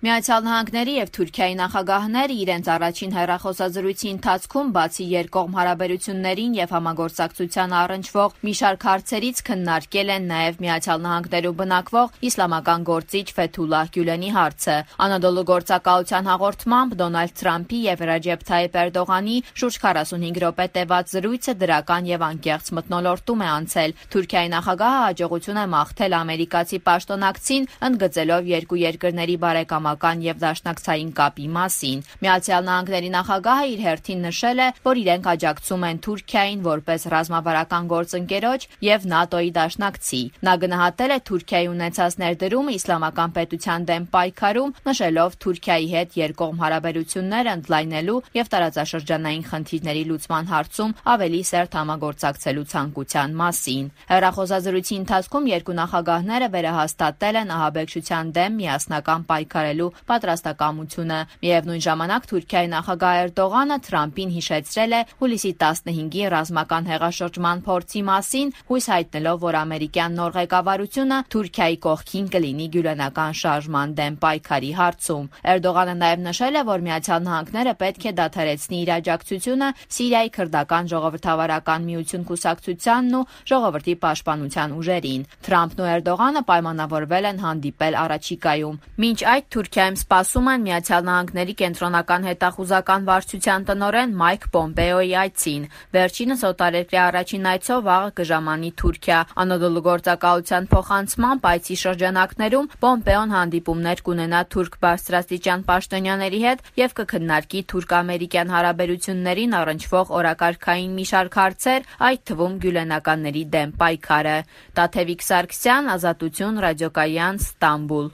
Միացյալ Նահանգների եւ Թուրքիայի նախագահները իրենց առաջին հեռախոսազրույցի ընթացքում բացի երկկողմ հարաբերություններին եւ համագործակցության առնչվող մի շարք հարցերից քննարկել են նաեւ Միացյալ Նահանգներում բնակվող իսլամական գործիչ Ֆեթուլլահ Գյուլենի հարցը։ Անադոլու գործակալության հաղորդմամբ Դոնալդ Թրամփի եւ Ռաջեփ Թայիփ Էրդողանի շուրջ 45 րոպե տևած զրույցը դրական եւ անկեղծ մթնոլորտում է անցել։ Թուրքիայի նախագահը հաջողություն է մաղթել ամերիկացի պաշտոնակցին, ընդգծելով երկու երկրների բարեկամական եւ դաշնակցային կապի մասին։ Միացյալ Նահանգների նախագահը իր հերթին նշել է, որ իրենք աջակցում են Թուրքիային որպես ռազմավարական գործընկերոջ եւ ՆԱՏՕ-ի դաշնակցի։ Նա գնահատել է Թուրքիայի ունեցած ներդրումը իսլամական պետության դեմ պայքարում, նշելով Թուրքիայի հետ երկկողմ հարաբերություններ ընդլայնելու եւ տարածաշրջանային խնդիրների լուծման հարցում ավելի սերտ համագործակցելու ցանկության մասին։ Հեռախոսազրույցի ընթացքում երկու նախագահները վերահաստատել են ահաբեկչության դեմ միասնական պայքարելու պատրաստակամությունը։ Միևնույն ժամանակ Թուրքիայի նախագահ Էրդողանը Թրամփին հիշեցրել է հուլիսի 15-ի ռազմական հեղաշրջման փորձի մասին, հույս հայտնելով, որ ամերիկյան նոր ղեկավարությունը Թուրքիայի կողքին կլինի գյուլենական շարժման դեմ պայքարի հարցում։ Էրդողանը նաև նշել է, որ Միացյալ Նահանգները պետք է դադարեցնի իր աջակցությունը Սիրիայի քրդական ժողովրդավարական միություն կուսակցությանն ու ժողովրդի պաշտպանության ուժերին։ Թրամփն ու Էրդողանը պայմանավորվել են հանդիպել առաջիկայում։ Մինչ այդ Թուրքիայում սպասում են Միացյալ Նահանգների կենտրոնական հետախուզական վարչության տնօրեն Մայք Պոմպեոյի այցին։ Վերջինս օտարերկրյա առաջին այցով վաղը կժամանի Թուրքիա։ Անադոլու գործակալության փոխանցմամբ այցի շրջանակներում Պոմպեոն հանդիպումներ կունենա թուրք բարձրաստիճան պաշտոնյաների հետ եւ կքննարկի թուրք-ամերիկյան հարաբերություններին առնչվող օրակարգային մի շարք հարցեր, այդ թվում գյուլենականների դեմ պայքարը։ Տաթևիկ Սարգսյան, Ազատություն, Ռադիոկայան, Ստամբուլ։